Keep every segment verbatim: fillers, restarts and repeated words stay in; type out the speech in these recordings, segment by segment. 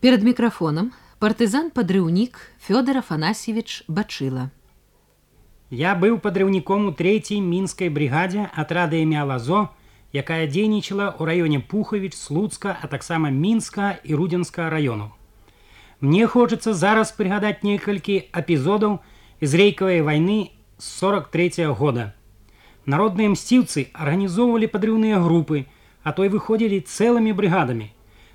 Перед микрофоном партызан-падрыўнік Фёдор Афанасьевич Бачыла. Я быў падрыўніком у трэцяй мінскай брыгадзе атрада імя Лазо, якая дзейнічала ў раёне Пухавіч, Слуцка, а таксама Мінска і Рудзенска раёнаў. Мне хочацца зараз прыгадаць некалькі эпізодаў з рэйкавай вайны з сорок трэцяга года. Народныя мсціўцы арганізоўвалі падрыўныя групы, а то і выходзілі цэлымі брыгадамі.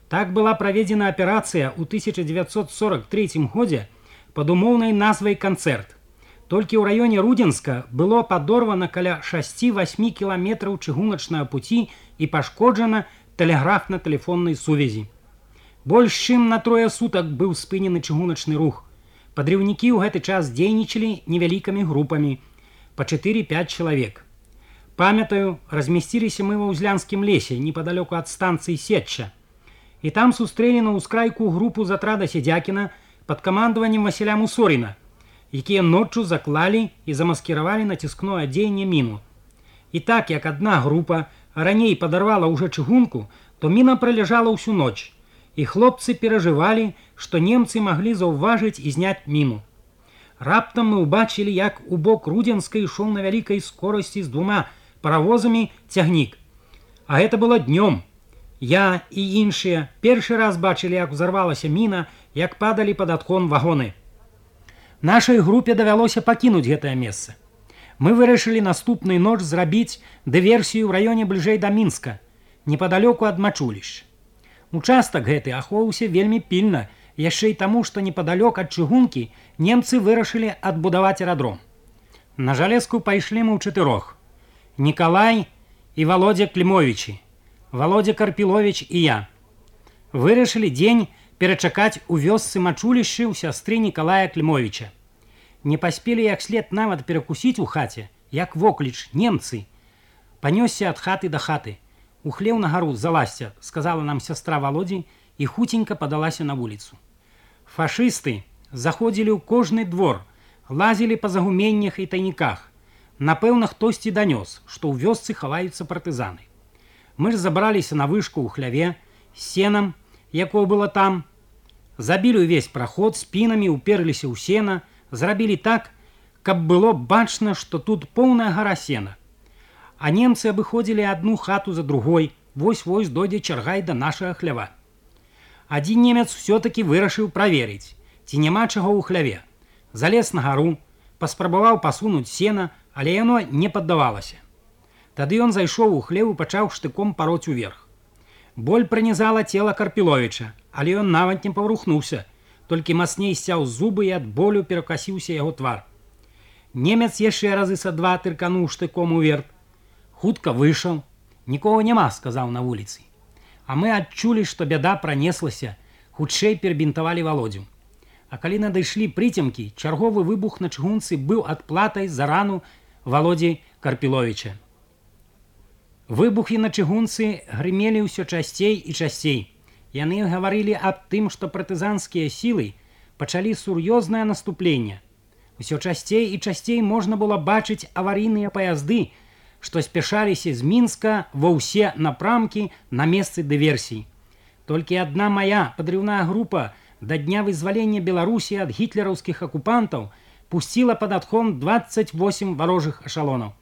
Так была праведзена аперацыя ў тысяча дзевяцьсот сорок трэцім годзе пад умоўнай назвай «Канцэрт». Толькі ў раёне Рудзенска было падорвана каля шасці-васьмі кіламетраў чыгуначнага пуці і пашкоджана тэлеграфна-тэлефоннай сувязі. Больш чым на трое сутак быў спынены чыгуначны рух. Падрыўнікі ў гэты час дзейнічалі невялікімі групамі, па чатыры-пяць чалавек. Памятаю, размясціліся мы ва ўзлянскім лесе, непадалёку ад станцыі Сетча. І там сустрэлі на ўскрайку групу з атрада Седзякіна пад камандаваннем Васіля Мусоріна, якія ноччу заклалі і замаскіравалі націскное адзенне міну. І так, як адна група раней падарвала ўжо чыгунку, то міна праляжала ўсю ноч, і хлопцы перажывалі, што немцы маглі заўважыць і зняць міну. Раптам мы ўбачылі, як у бок Рудзенска ішоў на вялікай скорасці з двума паравозамі цягнік. А гэта было днём. Я і іншыя першы раз бачылі, як узарвалася міна, як падалі пад адхон вагоны. Нашай групе давялося пакінуць гэтае месца. Мы вырашылі наступную ноч зрабіць дыверсію ў раёне бліжэй да Мінска, непадалёку ад Мачулішча. Участак гэты ахоўваўся вельмі пільна, яшчэ і таму, што непадалёк ад чыгункі немцы вырашылі адбудаваць аэрадром. На Жалезку пайшлі мы ў чатырох. Нікалай і Володя Клімовічы, Володя Карпіловіч і я. Вырашылі дзень перачакаць у вёсцы Мачулішчы ў сястры Нікалая Клімовіча. Не паспелі як след нават перакусіць у хаце, як вокліч немцы. Панёсся ад хаты да хаты. Ухлеў на гару залазьця, сказала нам сястра Володзі і хуценька падалася на вуліцу. Фашысты заходзілі ў кожны двор, лазілі па загуменнях і тайніках. Напэўна, хтосьці данёс, што ў вёсцы хаваюцца партызаны. Мы ж забраліся на вышку ў хляве, з сенам, якое было там, забілі ўвесь праход, спінамі ўперліся ў сена, зрабілі так, каб было бачна, што тут поўная гара сена. А немцы абыходзілі адну хату за другой, вось-вось дойдзе чарга і да нашага хлява. Адзін немец усё-такі вырашыў праверыць, ці няма чаго ў хляве. Залез на гару, паспрабаваў пасунуць сена, але яно не паддавалася. Тады ён зайшоў у хлеў і пачаў штыком пароць уверх. Боль пранізала цела Карпіловіча, але ён нават не паварухнуўся, толькі мацней сцяў зубы і ад болю перакасіўся яго твар. Немец яшчэ разы са два тыркануў штыком уверх. Хутка выйшаў. «Нікога няма», сказаў на вуліцы. А мы адчулі, што бяда пранеслася, хутчэй перабінтавалі Володзю. А калі надышлі прыцемкі, чарговы выбух на чыгунцы быў адплатай за рану Володзі Карпіловіча. Выбухі на чыгунцы грымелі ўсё часцей і часцей. Яны гаварылі аб тым, што партызанскія сілы пачалі сур'ёзнае наступленне. Усё часцей і часцей можна было бачыць аварыйныя паязды, што спяшаліся з Мінска ва ўсе напрамкі на месцы дыверсій. Толькі адна мая падрыўная група да дня вызвалення Беларусі ад гітлераўскіх акупантаў пусціла пад адхон дваццаць восем варожых эшалонаў.